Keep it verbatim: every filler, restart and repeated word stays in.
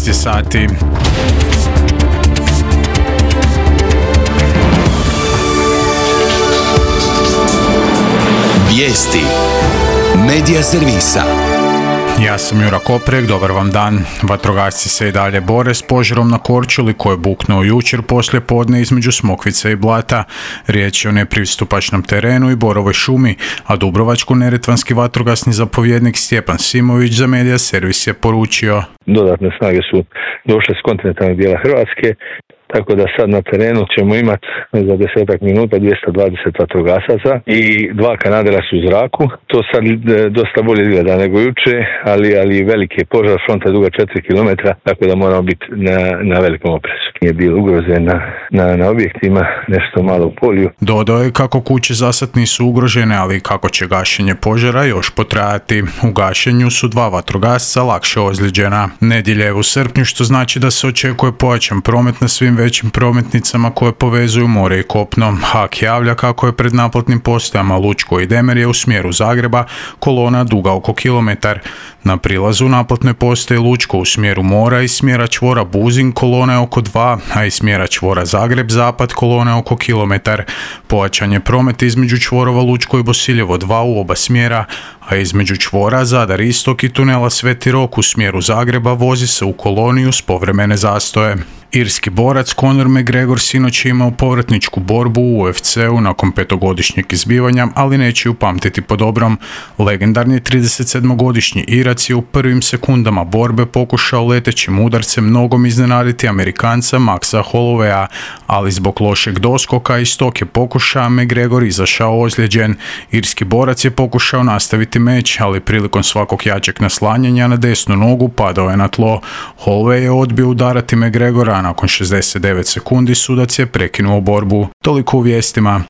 šesnaest je sati. Vijesti Medija servisa. Ja sam Jura Koprek, dobar vam dan. Vatrogasci se i dalje bore s požarom na Korčuli koji je buknuo jučer poslije podne između Smokvice i Blata. Riječ je o nepristupačnom terenu i borovoj šumi, a dubrovačko-neretvanski vatrogasni zapovjednik Stjepan Simović za Medija servis je poručio: Dodatne snage su došle s kontinentalnog dijela Hrvatske, tako da sad na terenu ćemo imati za desetak minuta dvjesto dvadeset vatrogasaca i dva kanadera su u zraku. To sad dosta bolje izgleda nego juče, ali, ali veliki je požar, fronta je duga četiri kilometra, tako da moramo biti na, na velikom oprezu. Nije bilo ugroze na, na, na objektima, nešto malo u polju. Dodao je kako kuće zasad nisu ugrožene, ali kako će gašenje požara još potrajati. U gašenju su dva vatrogasca lakše ozlijeđena. Nedjelja je u srpnju, što znači da se očekuje pojačan promet na svim većim prometnicama koje povezuju more i kopno. HAK javlja kako je pred naplatnim postajama Lučko i Demerje u smjeru Zagreba kolona duga oko kilometar. Na prilazu naplatne postaje Lučko u smjeru mora i smjera čvora Buzin kolona je oko dva, a iz smjera čvora Zagreb zapad kolona je oko kilometar. Pojačan je promet između čvorova Lučko i Bosiljevo dva u oba smjera, a između čvora Zadar istok i tunela Sveti Rok u smjeru Zagreba vozi se u koloniju s povremene zastoje. Irski borac Conor McGregor sinoć je imao povratničku borbu u U F C-u nakon petogodišnjeg izbivanja, ali neće ju pamtiti po dobrom. Legendarni tridesetsedmogodišnji Irac je u prvim sekundama borbe pokušao letećim udarcem nogom iznenaditi Amerikanca Maxa Hollowaya, ali zbog lošeg doskoka iz tog je pokušaja McGregor izašao ozlijeđen. Irski borac je pokušao nastaviti meč, ali prilikom svakog jačeg naslanjanja na desnu nogu padao je na tlo. Holloway je odbio udarati McGregora, a nakon šezdeset devet sekundi sudac je prekinuo borbu. Toliko u vijestima.